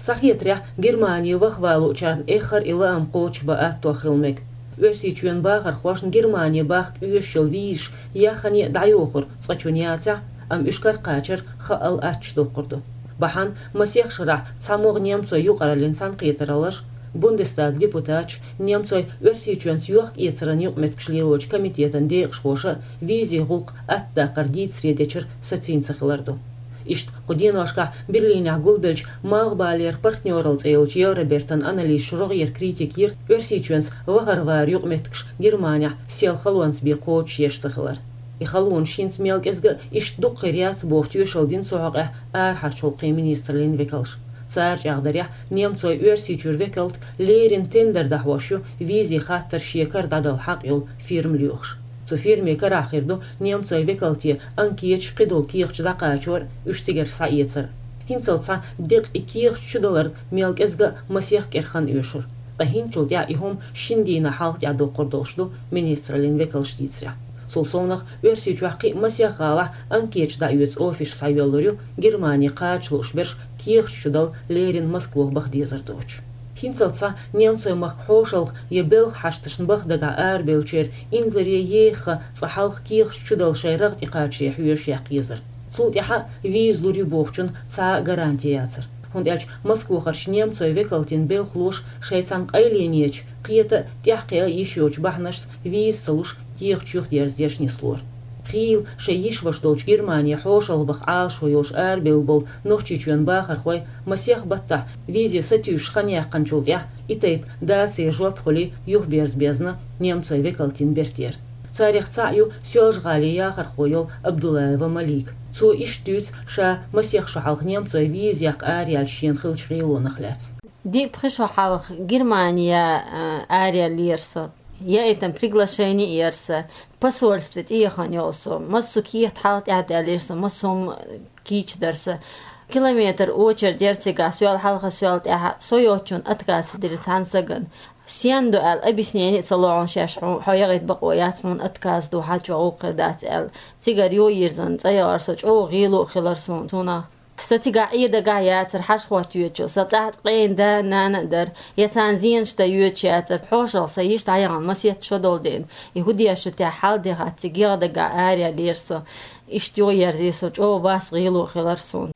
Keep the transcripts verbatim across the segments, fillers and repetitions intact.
Цхьа хетарехь, Германе вахавалучарна эххар а и лаам кхочушбан атто хила мега. Оьрсийчоьнан бахархошна Германе бахка оьшуш йолу визаш яххьане а дӀайохура цкъа чунна яцахь а, амма уьш каракхачар хаал аттачу доккхур ду. Бахьана масех шарахь цхьа могӀа немцойн юкъараллин цхьаьнакхетараллаш, Бундестаган депутаташ, немцойн Оьрсийчоьнца йохк-эцаран юкъаметтигаш лелочу комитетан декъашхоша визийн гӀуллакх аттадаккхар дийцаре дечуьра сацийна ца хилар ду. Иштта кху деношкахь Берлинехь гулбеллачу Малхбалера партнёралла цӀе йолчу Евробертан анализаша рогӀера критика йира Оьрсийчоьнца вахарваран юкъаметтигаш Германехь сел халонца бен кхочушъеш ца хилар. И халонаш хӀинца мел кӀезга а иштта дукха хир яц боху тоьшалла дина цу хьокъехь арахьарчу гӀуллакхийн министраллин векалша. Цара чӀагӀдарехь, немцойн Оьрсийчуьра векалт леррина тендер дӀахьош ю визийн хаттар шен кара дӀадала хьакъ йолу фирма лоьхуш. Цу фирмин карахь хир ду немцойн векалте анкеташ, кхидолу кехаташ дӀакхачор а, уьш цигара схьаэцар а. ХӀинццалц цхьа декъа и кехаташ чудалар мел кӀезга а масех кӀира хан оьшура. Ткъа хӀинцачул тӀаьхьа и хӀума шина дийнахь хьалха тӀаьхьа доккхур долуш ду министраллин векалша дийцарехь. Цул совнах, Оьрсийчохь кхин а масех гӀалахь анкеташ дӀаоьцу офисаш схьайоьллур ю, Германе кхача лууш берш кехаташ чудала леррина Москвах баха дезар доцуш. ХӀинццалц цхьа немцойн махка хьошалгӀа я белхан хьашташна баха дагахь арабевллачеран инзаре еха цкъа хьалха кехаташ чудала шайн рагӀ тӀекхачаре хьоьжуш яккха езара. Цул тӀаьхьа а виза лур ю бохучунна цхьа а гаранти яцара. ХӀунда аьлча Москвахарчу немцойн векалтан белхалоша шайн цхьана къайленечу, кхета а, тӀаьхьакхиа а йиш йоцучу бахьанашца виза ца луш, кехаташ юхадерзадеш нислора. Хийла шайн йиш-ваша долчу Германе хьошалгӀа баха Ӏалашо йолуш арабевлла болу Нохчийчоьнан бахархой масех баттахь визе сатуьйсуш хан яьккхинчул тӀаьхьа и тайпа дацаре жоп хуьлий юхаберза безна немцойн векалтан бертера. Царех цхьаъ ю Соьлжа-ГӀалин яхархо йолу Абдуллаева Малика. Цо иштта дуьйцу ша масех шо хьалха немцойн виза яккха араяьлча шена хиллачу гӀелонах лаьцна. Диъ-пхи шо хьалха Германе, а, араяьллера со. Я это приглашение яра сан, посольстве тӀехьа йолу со, массо кехат хьалха тӀаьхьа даьллера сан, массо хӀума кийча дара сан. Километр очередь яра цигахь, соьл хьалха, соьл тӀаьхьа, со йоцучунна отказ дира цхьана сагана. Стенна ду аьлла, объяснение а ца ло хьуна шаьш, хьо, хьо яхийта бакъо яц, хьуна отказ ду, хьан чохь гӀуллакх хир дац аьлла. Цигара йо йирзина цӀа яхара со, чӀогӀа гӀело а хилара суна цунах. Со цигахь Ӏе дагахь яцара, хьашт хӀоттайоьдучул. Сан цӀахь ткъе да а, нана а дара. Я царна зенаш дан йоьдуш яцара. ХьошалгӀа сан йиш дӀаяхана, масех шо долу деана. И хӀун деш ду техьа, хьал а дехьа, цига егӀа дагахь араяьллера со. Иштта юхаерзий со, чӀогӀа басса гӀело а хилара суна.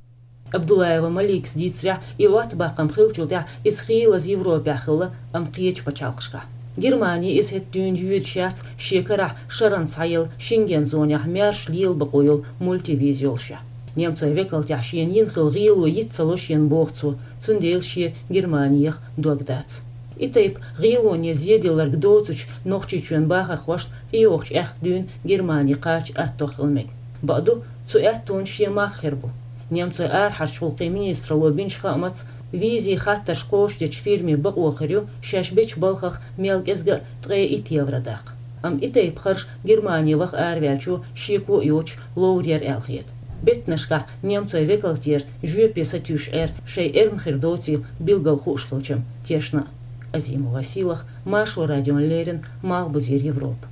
Абдуллаева Маликас дийцарехь, и Ӏоттабаккхам хиллачул тӀаьхьа иза хийлаза Европехь хилла, амма кхечу пачхьалкхашкахь. Германе иза хӀетахь дуьйна йоьдуш яц, шен карахь шарна схьаелла Шенген зонехь маьрша лела бакъо йолу мультивиза йолушехь. Немцойн векалтехь шена йина хилла гӀело йиц ца ло шена, боху цо, цундела шен Германех дог дац. И тайпа гӀелоне зеделларг доцучу Нохчийчоьнан бахархошна тӀейогӀучу аьхка дуьйна Германе кхача атто хила мега. Бакъду, цу аьттонан шен мах хир бу. Немцойн арахьарчу гӀуллакхийн министралло бинчу хаамца, визийн хаттарш кхочушдечу фирмин бакъо хир ю шаьш бечу балхах мел кӀезга а ткъе итт евро даккха. Амма и тайпа харж Германе ваха араваьллачо шеко а йоцуш ловр яра аьлла хета. Беттанашкахь немцойн векалтера жоьпе сатуьйсуш Ӏер шайн эрна хир доцийла билггал хууш хилчам тешна а. Азима Василах, Маршо радиона леррина, Малхбузера Европа.